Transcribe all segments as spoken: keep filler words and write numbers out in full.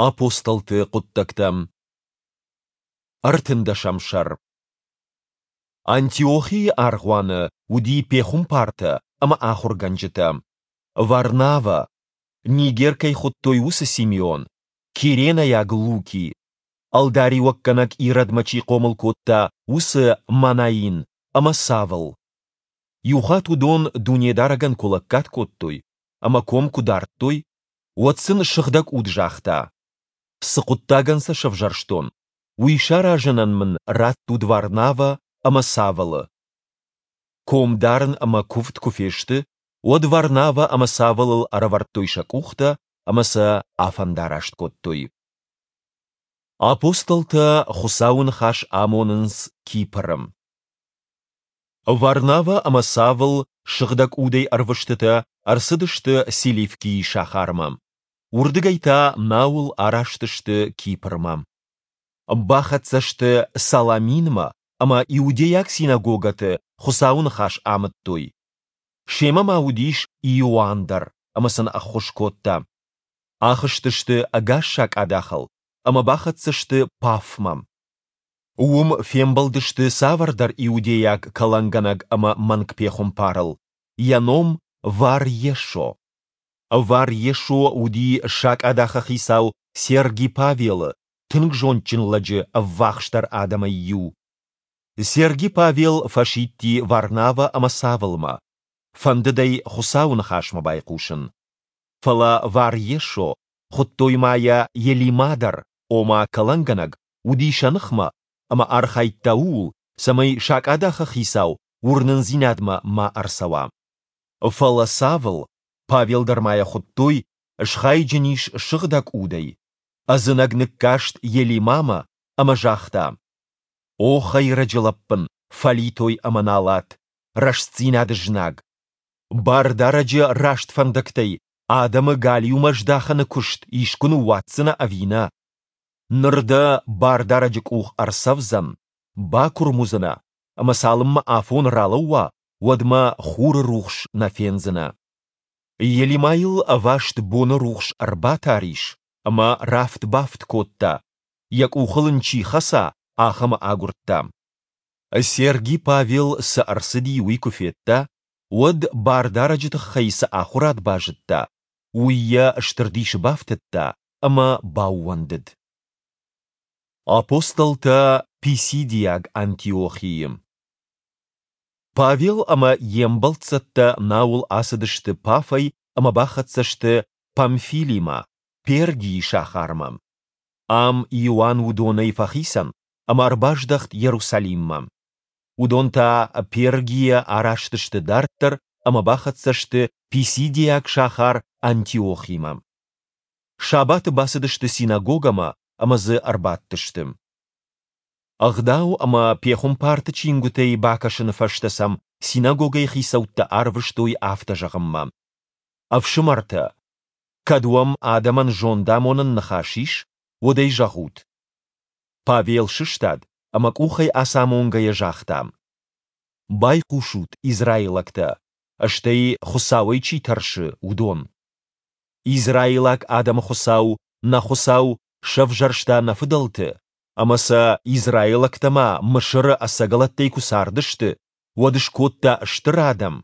Апостолты хъуыддӕгтӕ. Ӕртындӕсӕм сӕр. Антиохийы аргъуаны уыди пехуымпартӕ ӕмӕ ахуыргӕнджытӕ: Варнавӕ, Нигер кӕй хуыдтой, уыцы Симеон, киренӕйаг Луки, ӕлдариуӕггӕнӕг Иродмӕ чи хъомыл кодта, уыцы Манаин ӕмӕ Савл. Иухатт уыдон Дунедарӕгӕн куы лӕггад кодтой ӕмӕ ком куы дардтой, уӕд сын Сыгъдӕг Уд загъта: Цы хъуыддагӕн сӕ сӕвзӕрстон, уый саразынӕн мын раттут Варнавӕ ӕмӕ Савлы. Ком дарын ӕмӕ куывд куы фесты, уӕд Варнавӕ ӕмӕ Савлыл ӕрӕвӕрдтой сӕ къухтӕ ӕмӕ сӕ афӕндараст кодтой. Апостолтӕ Хуыцауы ныхас амонынц Кипры. Варнавӕ ӕмӕ Савл Сыгъдӕг Удӕй ӕрвыстытӕ ӕрцыдысты Селевкийы сахармӕ. Уырдыгӕй та науыл араст сты Кипрмӕ. Бахӕццӕ сты Саламинмӕ ӕмӕ иудейаг синагогӕты Хуыцауы ныхас амыдтой. Семӕ ма уыдис Иоанн дӕр ӕмӕ сын ӕххуыс кодта. Ахызтысты ӕгас сакъадахыл ӕмӕ бахӕццӕ сты Пафмӕ. Уым фембӕлдысты цавӕрдӕр иудейаг кӕлӕнгӕнӕг ӕмӕ мӕнгпехуымпарыл, йӕ ном Вар-Йесо. Вар-Йесо уыди сакъадахы хицау Серги Павелы, тынг зондджын лӕджы, ӕввахсдӕр адӕмӕй иу. Серги Павел фӕсидти Варнавӕ ӕмӕ Савлмӕ, фӕндыд ӕй Хуыцауы ныхасмӕ байхъусын. Фӕлӕ Вар-Йесо, хуыдтой ма йӕ Елима дӕр, ома кӕлӕнгӕнӕг, уыди сӕ ныхмӕ ӕмӕ архайдта ууыл, цӕмӕй сакъадахы хицау уырнындзинадмӕ ма ӕрцӕуа. Фӕлӕ Савл, Павел дӕр ма йӕ хуыдтой, схайджын ис Сыгъдӕг Удӕй, ӕдзынӕг ныккаст Елимамӕ ӕмӕ загъта: О хӕйрӕджы лӕппын, фӕлитой ӕмӕ налат, рӕстдзинады знаг! Бардарӕджы раст фӕндӕгтӕй адӕмы галиумӕ здахыны куыст искуы ныууадздзынӕ ӕви нӕ? Ныр дӕ Бардарӕджы къух ӕрцӕвдзӕн, бакуырм уыдзынӕ, ӕмӕ цалынмӕ афон ралӕууа, уӕдмӕ хуры рухс нӕ фендзынӕ. Елимайыл ӕваст боны рухс ӕрбатар ис ӕмӕ рафт-бафт кодта, йӕ къухыл ын чи хӕца, ахӕмы агуырдта. Серги Павел, цы ӕрцыди, уый куы федта, уӕд Бардарӕджы тыххӕй цы ахуырад базыдта, уый йӕ стыр дисы бафтыдта ӕмӕ баууӕндыд. Апостолтӕ Писидиаг Антиохийы. Павел ӕмӕ йе мбӕлццӕттӕ науыл ацыдысты Пафӕй ӕмӕ бахӕццӕ сты Памфилимӕ, Пергийы сахармӕ. Ам Иоанн уыдонӕй фӕхицӕн ӕмӕ ӕрбаздӕхт Иерусалиммӕ. Уыдон та Пергийӕ араст сты дарддӕр ӕмӕ бахӕццӕ сты писидиаг сахар Антиохимӕ. Сабаты бацыдысты синагогӕмӕ ӕмӕ дзы ӕрбадтысты. Ӕгъдау ӕмӕ пехуымпарты чингуытӕй бакӕсыны фӕстӕ сӕм синагогӕйы хицӕуттӕ арвыстой афтӕ зӕгъынмӕ: Ӕфсымӕртӕ, кӕд уӕм адӕмӕн зондамонӕн ныхас ис, уӕд ӕй зӕгъут. Павел сыстад ӕмӕ къухӕй ацамонгӕйӕ загъта: Байхъусут, израилӕгтӕ, стӕй Хуыцауӕй чи тӕрсы, уыдон! Израилаг адӕмы Хуыцау, нӕ Хуыцау, сӕвзӕрста нӕ фыдӕлты, ӕмӕ сӕ израилӕгтӕ ма Мысыры ӕцӕгӕлӕттӕй куы цардысты, уӕд скодта стыр адӕм,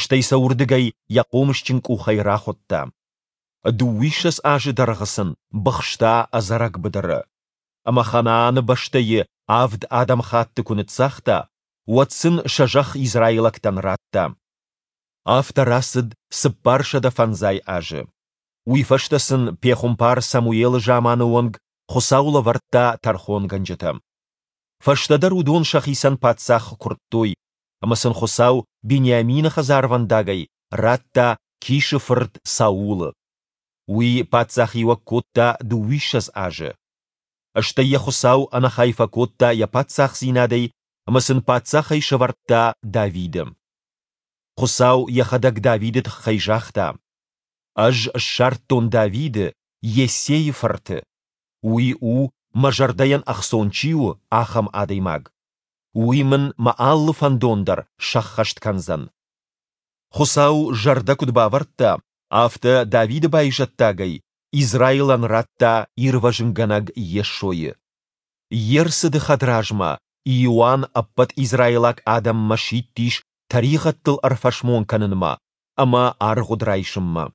стӕй сӕ уырдыгӕй йӕ хъомысджын къухӕй рахуыдта. Дыууиссӕдз азы дӕргъы сын быхста ӕдзӕрӕг быдыры. Ӕмӕ Ханааны бӕстӕйы авд адӕмыхатты куы ныццагъта, уӕд сын сӕ зӕхх израилӕгтӕн радта. Афтӕ рацыд цыппарсӕдӕ фӕндзай азы. Уый фӕстӕ сын пехуымпар Самуелы заманы онг Хуыцау лӕвӕрдта тӕрхонгӕнджытӕ. Фӕстӕдӕр уыдон сӕхицӕн паддзах куырдтой, ӕмӕ сын Хуыцау Бениамины хӕдзарвӕндагӕй радта Кисы фырт Саулы. Уый паддзахиуӕг кодта дыууиссӕдз азы. Стӕй йӕ Хуыцау ӕнӕхай фӕкодта йӕ паддзахдзинадӕй ӕмӕ сын паддзахӕй сӕвӕрдта Давиды. Хуыцау йӕхӕдӕг Давиды тыххӕй загъта: Ӕз ссардтон Давиды, Йессейы фырты. Уый у, мӕ зӕрдӕйӕн ӕхцон чи у, ахӕм адӕймаг. Уый мын мӕ алы фӕндон дӕр сӕххӕст кӕндзӕн. Хуыцау зӕрдӕ куыд бавӕрдта, афтӕ Давиды байзӕддагӕй Израилӕн радта Ирвӕзынгӕнӕг Йесойы. Йе рцыды хӕдразмӕ Иоанн ӕппӕт израилаг адӕммӕ сидтис тӕригъӕдтыл ӕрфӕсмон кӕнынмӕ ӕмӕ аргъуыд райсынмӕ.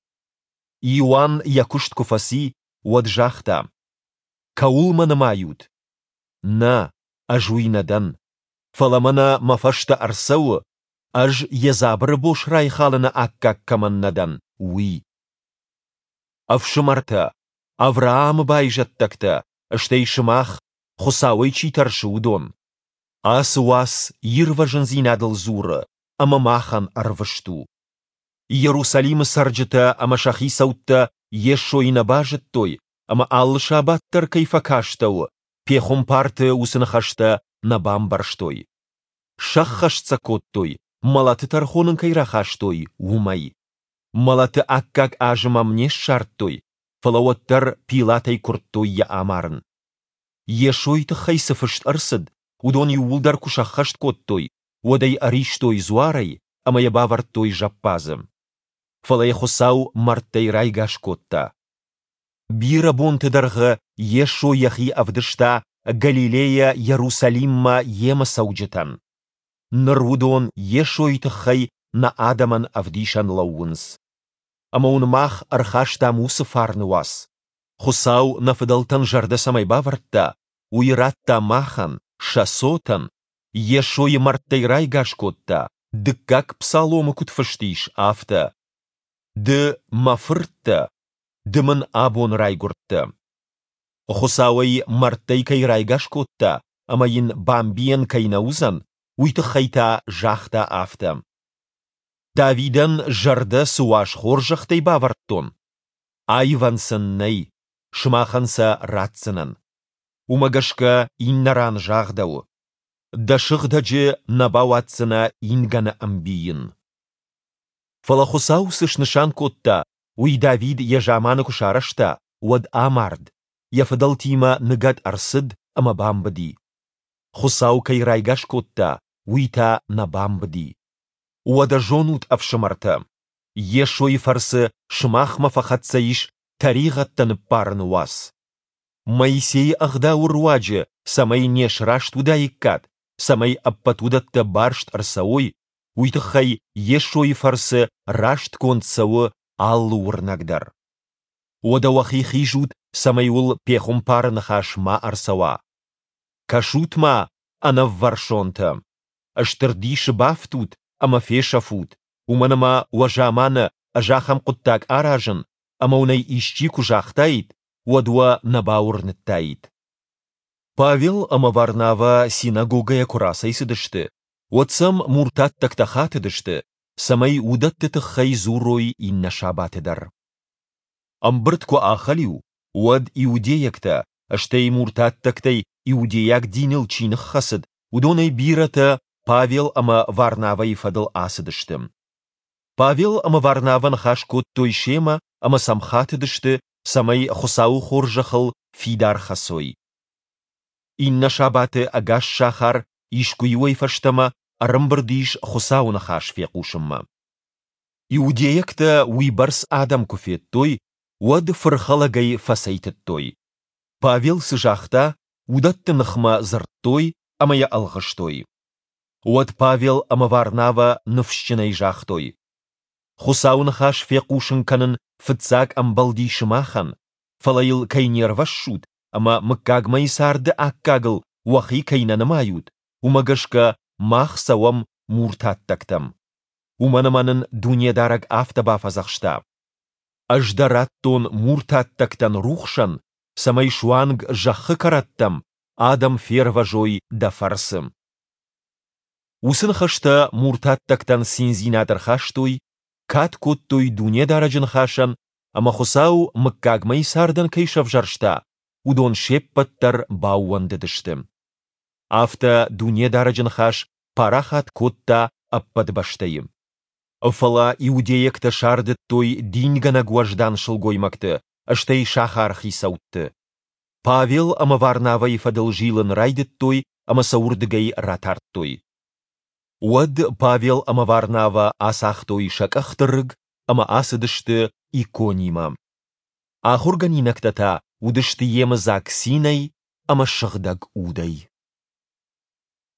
Иоанн йӕ куыст куы фӕци, уӕд загъта: Кӕуыл мӕ нымайут? Нӕ, ӕз уый нӕ дӕн. Фӕлӕ мӕнӕ мӕ фӕстӕ ӕрцӕуы, ӕз йӕ дзабыры бос райхалыны аккаг кӕмӕн нӕ дӕн, уый. Ӕфсымӕртӕ, Авраамы байзӕддӕгтӕ, стӕй сымах, Хуыцауӕй чи тӕрсы, уыдон! Ацы уац ирвӕзындзинадыл дзуры ӕмӕ махӕн ӕрвыст у. Иерусалимы цӕрджытӕ ӕмӕ сӕ хицӕуттӕ Йесойы нӕ базыдтой ӕмӕ алы сабат дӕр кӕй фӕкастӕуы, пехуымпарты уыцы ныхӕстӕ нӕ бамбӕрстой. Сӕххӕст сӕ кодтой, мӕлӕты тӕрхон ын кӕй рахастой, уымӕй. Мӕлӕты аккаг азым ӕм не ссардтой, фӕлӕ уӕддӕр Пилатӕй куырдтой йӕ амарын. Йесойы тыххӕй цы фыст ӕрцыд, уыдон иууылдӕр куы сӕххӕст кодтой, уӕд ӕй ӕристой дзуарӕй ӕмӕ йӕ бавӕрдтой зӕппадзы. Фӕлӕ йӕ Хуыцау мӕрдтӕй райгас кодта. Бирӕ бонты дӕргъы Йесо йӕхи ӕвдыста Галилейӕ Иерусалиммӕ йемӕ цӕуджытӕн. Ныр уыдон Йесойы тыххӕй нӕ адӕмӕн ӕвдисӕн лӕууынц. Ӕмӕ уын мах ӕрхастам уыцы фарны уац. Хуыцау нӕ фыдӕлтӕн зӕрдӕ цӕмӕй бавӕрдта, уый радта махӕн, сӕ цотӕн, Йесойы мӕрдтӕй райгас кодта, дыккаг псаломы куыд фыст ис, афтӕ: Ды мӕ фырт дӕ, ды мын абон райгуырдтӕ. Хуыцау ӕй мӕрдтӕй кӕй райгас кодта ӕмӕ йын бамбийӕн кӕй нӕ уыдзӕн, уый тыххӕй та загъта афтӕ: Давидӕн зӕрдӕ цы уаз хорзӕхтӕй бавӕрдтон, аивӕн сын нӕй, сымахӕн сӕ ратдзынӕн. Уымӕ гӕсгӕ иннӕ ран загъдӕуы: Дӕ сыгъдӕджы нӕ бауадздзынӕ ингӕны ӕмбийын. Фӕлӕ Хуыцау цы снысан кодта, уый Давид йӕ заманы куы сарӕзта, уӕд амард, йӕ фыдӕлтимӕ ныгӕд ӕрцыд ӕмӕ бамбыди. Хуыцау кӕй райгас кодта, уый та нӕ бамбыди. Уӕдӕ зонут, ӕфсымӕртӕ, Йесойы фӕрцы сымахмӕ фӕхӕццӕ ис тӕригъӕдтӕ ныббарыны уац. Моисейы ӕгъдауы руаджы цӕмӕй не сраст уыдаиккат, цӕмӕй ӕппӕт уыдӕттӕ барст ӕрцӕуой, уый тыххӕй Йесойы фӕрцы растгонд цӕуы алы уырнӕг дӕр. Уӕдӕ уӕхи хизут, цӕмӕй уыл пехуымпары ныхас ма ӕрцӕуа. Кӕсут-ма, ӕнӕввӕрсонтӕ! Стыр дисы бафтут ӕмӕ фесӕфут, уымӕн ӕмӕ уӕ заманы ӕз ахӕм хъуыддаг аразын, ӕмӕ уын ӕй исчи куы загътаид, уӕд уӕ нӕ бауырныдтаид. Павел ӕмӕ Варнавӕ синагогӕйӕ куы рацӕйцыдысты, уӕд сӕм муртаттӕгтӕ хатыдысты, цӕмӕй уыдӕтты тыххӕй дзурой иннӕ сабаты дӕр. Ӕмбырд куы ахӕлиу, уӕд иудейӕгтӕ, стӕй муртаттӕгтӕй иудейаг диныл чи ныххӕцыд, уыдонӕй бирӕтӕ Павел ӕмӕ Варнавӕйы фӕдыл ацыдысты. Павел ӕмӕ Варнавӕ ныхас кодтой семӕ ӕмӕ сӕм хатыдысты, цӕмӕй Хуыцауы хорзӕхыл фидар хӕцой. Иннӕ сабаты ӕгас сахар искуы-иуӕй фӕстӕмӕ ӕрӕмбырд ис Хуыцауы ныхас фехъусынмӕ. Иудейӕгтӕ уыйбӕрц адӕм куы федтой, уӕд фырхӕлӕгӕй фӕцӕйтыдтой. Павел цы загъта, уыдӕтты ныхмӕ дзырдтой ӕмӕ йӕ ӕлгъыстой. Уӕд Павел ӕмӕ Варнавӕ ныфсджынӕй загътой: Хуыцауы ныхас фехъусын кӕнын фыццаг ӕмбӕлди сымахӕн, фӕлӕ йыл кӕй не рвӕссут ӕмӕ мыггагмӕйы царды аккагыл уӕхи кӕй нӕ нымайут, уымӕ гӕсгӕ мах цӕуӕм муртаттӕгтӕм. Уымӕн ӕмӕ нын Дунедарӕг афтӕ бафӕдзӕхста: Ӕз дӕ радтон муртаттӕгтӕн рухсӕн, цӕмӕй суанг зӕххы кӕрӕттӕм адӕм фервӕзой дӕ фӕрцы. Уыцы ныхӕстӕ муртаттӕгтӕн циндзинад ӕрхастой, кад кодтой Дунедарӕджы ныхасӕн ӕмӕ Хуыцау мыггагмӕйы цардӕн кӕй сӕвзӕрста, уыдон се ппӕт дӕр баууӕндыдысты. Афтӕ Дунедарӕджы ныхас парахат кодта ӕппӕт бӕстӕйы. Фӕлӕ иудейӕгтӕ сардыдтой дингӕнӕг уӕздан сылгоймӕгты, стӕй сахары хицӕутты. Павел ӕмӕ Варнавӕйы фӕдыл зилын райдыдтой ӕмӕ сӕ уырдыгӕй ратардтой. Уӕд Павел ӕмӕ Варнавӕ ацагътой сӕ къӕхты рыг ӕмӕ ацыдысты Иконимӕ. Ахуыргӕнинӕгтӕ та уыдысты йемыдзаг цинӕй ӕмӕ Сыгъдӕг Удӕй.